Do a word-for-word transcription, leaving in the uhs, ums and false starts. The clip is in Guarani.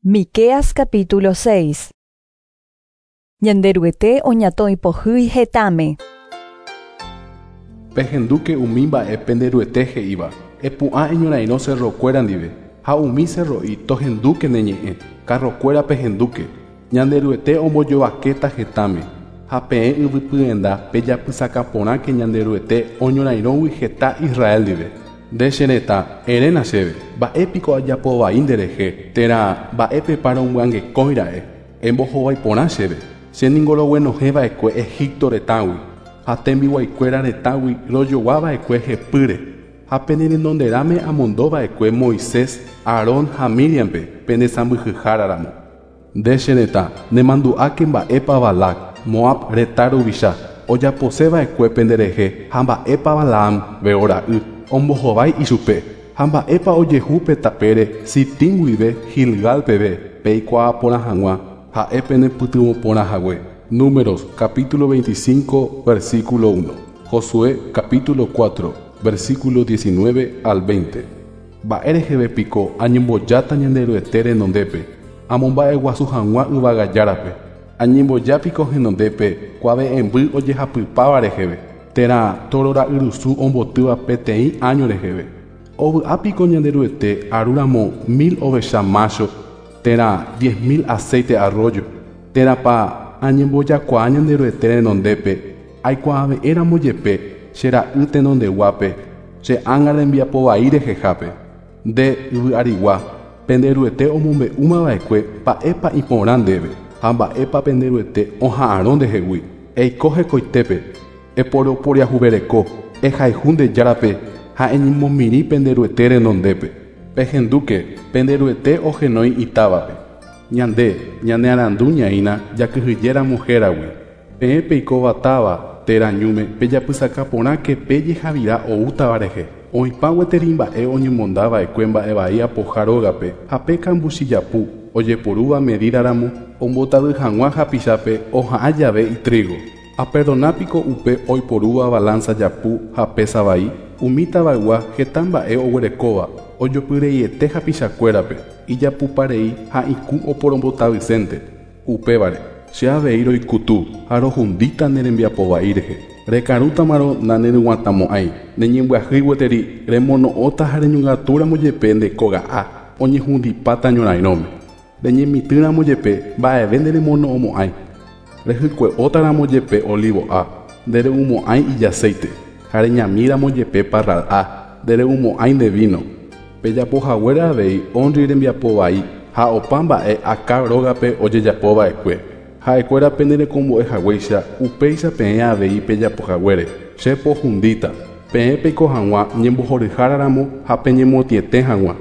Miqueas capítulo seis. Ñanderuete oñatõipohýi hetãme. Pehendúke umi mba'e penderuete he'íva, epu'ã eñorairõ cerrokuéra ndive, ha umi cerro'i tohendúke ne ñe'ẽ, carrokuéra pehendúke. Ñanderuete ombojovakéta hetãme, ha peẽ yvypyenda pejapysaka porãke Ñanderuete oñorairõgui heta Israel ndive. Nde che retã, eréna chéve, mba'épiko ajapovai nderehe, térã mba'épepa romyangekõira'e, embohovái porã chéve. Che ningo roguenohẽva'ekue Egipto retãgui, ha tembiguaikuéra retãgui rojoguava'ekue hepýre, ha pene renonderãme amondova'ekue Moisés, Aarón ha Miriampe pene sãmbyhyháraramo. Nde che retã, nemandu'áke mba'épa Balac, Moab retã ruvicha, ojaposeva'ekue penderehe ha mba'épa Balaam Beora'y ombohovái ichupe, ha mba'épa ojehu pe tapére Sitim guive Gilgal peve peikuaa porã hag̃ua ha'e penepytyvõ porã hague. Números capítulo veinticinco versículo uno. Josué capítulo cuatro versículo diecinueve al veinte. Mba'e piko añembojáta Ñanderuete renondépe, amomba'eguasu hag̃ua yvagajárape. Añembojápiko henondépe kuave'ẽmby ojehapypáva reheve, térã torora'yrusu ombotýva peteĩ año reheve. Ovy'ápiko Ñanderuete arúramo mil ovecha macho, térã diez mil aceite arroyo, térãpa añembojakuaa Ñanderuete renondépe, aikuaave'ẽramo jepe che ra'y tenondeguápe, che ánga rembiapovai rehehápe. Nde yvy'arigua, penderuete omombe'úmava'ekue mba'épa iporã ndéve, ha mba'épa penderuete oha'arõ ndehegui. Eiko hekoitépe, eporoporiahuvereko, ehayhu nde járape ha eñemomirĩ penderuete renondépe. Pehendúke, penderuete ohenói itávape. Ñande, ñanearandu ñaína jakyhyjéramo héragui. Peẽ peikóva táva térã ñúme pejapysaka porãke pejehavira oútava rehe. Oĩpa gueteri mba'e oñemondava'ekue mba'evai apoha rógape ha pe kambuchijapu ojeporúva medídaramo ombotavy hag̃ua hapichápe oha'ã jave itrigo. Aperdonápiko upe oiporúva balanza japu ha pesa vai, umi tavaygua heta mba'e oguerekóva ojopyreiete hapichakuérape, ijapuparei ha ikũ oporombotavysénte. Upévare, che avei roikutu ha rohundíta ne rembiapovai rehe. Rekarútamarõ naneryguatãmo'ãi, neñembyahýi gueteri remono'õta ha reñongatúramo jepe nde kóga'a oñehundipáta ñorairõme. Reñemitỹramo jepe mba'eve nderemono'õmo'ãi. Rehykue'ótaramo jepe olivo'a, ndere'umo'ãi ijaceite, ha reñamíramo jepe parral'a, ndere'umo'ãi nde vino. Pejapohaguére avei Omri rembiapovai ha opa mba'e Acab rógape ojejapova'ekue. Ha'ekuéra penerekombo'ehaguéicha upéicha peẽ avei pejapohaguére. Che pohundíta, peẽ peiko hag̃ua ñembohoryháraramo ha peñemotĩete hag̃ua.